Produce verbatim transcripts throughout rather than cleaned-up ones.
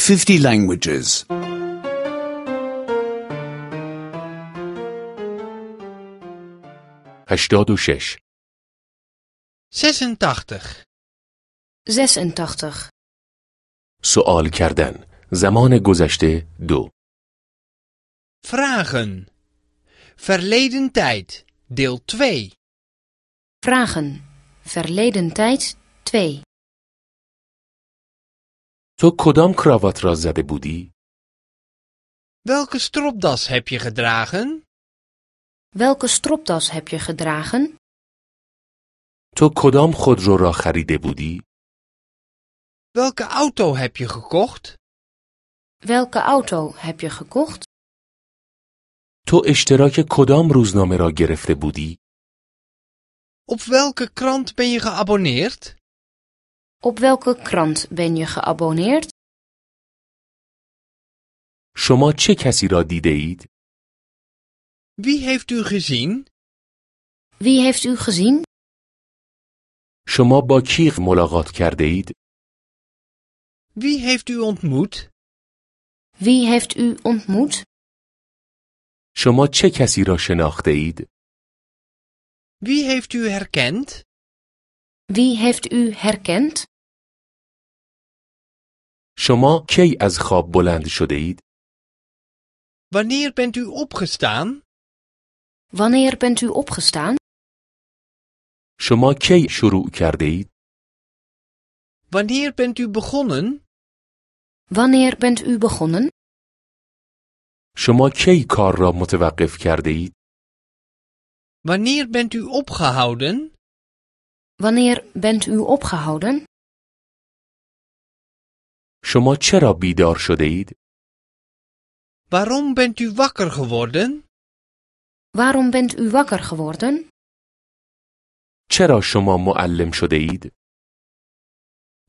fifty languages. هشتاد و شش. zesentachtig. zesentachtig. سوال کردن. زمان گذشته دو. Vragen. Verleden tijd. Deel twee. Vragen. Verleden tijd twee. تو کدام کراوات را زده بودی؟ Welke stropdas heb je gedragen? Welke stropdas heb je gedragen? تو کدام خودرو را خریده بودی؟ Welke auto heb je gekocht? Welke auto heb je gekocht? تو اشتراک کدام روزنامه را گرفته بودی؟ Op welke krant ben je geabonneerd? Op welke krant ben je geabonneerd? شما چه کسی را دیده اید؟ Wie heeft u gezien? Wie heeft u gezien? شما با کی ملاقات کرده اید؟ Wie heeft u ontmoet? Wie heeft u ontmoet? شما چه کسی را شناخته اید؟ Wie heeft u herkend? Wie heeft u herkend? شما کی از خواب بلند شده اید؟ Wanneer bent u opgestaan? Wanneer bent u opgestaan? شما کی شروع کرده اید؟ Wanneer bent u begonnen? Wanneer bent u begonnen? شما کی کار را متوقف کرده اید؟ Wanneer bent u opgehouden? Wanneer bent u opgehouden? شما چرا بیدار شده اید؟ Waarom bent u wakker geworden? Waarom bent u wakker geworden? چرا شما معلم شده اید؟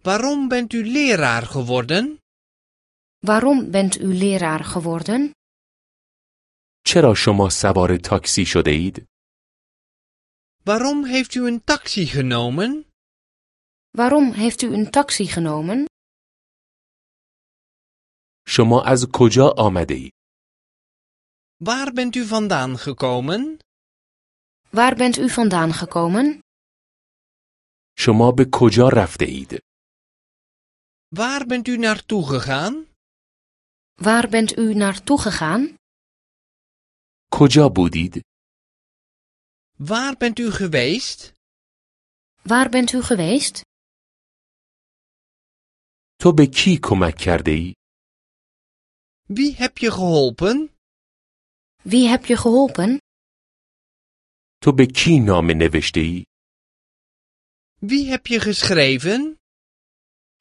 Waarom bent u leraar geworden? Waarom bent u leraar geworden? چرا شما سوار تاکسی شده اید؟ Waarom heeft u een taxi genomen? Waarom heeft u een taxi genomen? شما از کجا آمده اید؟ Waar bent u vandaan gekomen? Waar bent u vandaan gekomen? شما به کجا رفته اید؟ Waar bent u naartoe gegaan? Waar bent u naartoe gegaan? کجا بودید؟ Waar bent u geweest? Waar bent u geweest? تو به کی کمک کرده ای؟ Wie heb je geholpen? Wie heb je geholpen? تو به کی نامه نوشته ای؟ Wie heb je geschreven?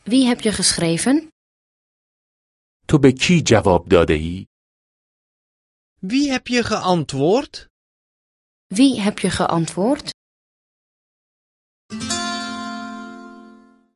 Wie heb je geschreven? تو به کی جواب داده ای؟ Wie heb je geantwoord? Wie heb je geantwoord?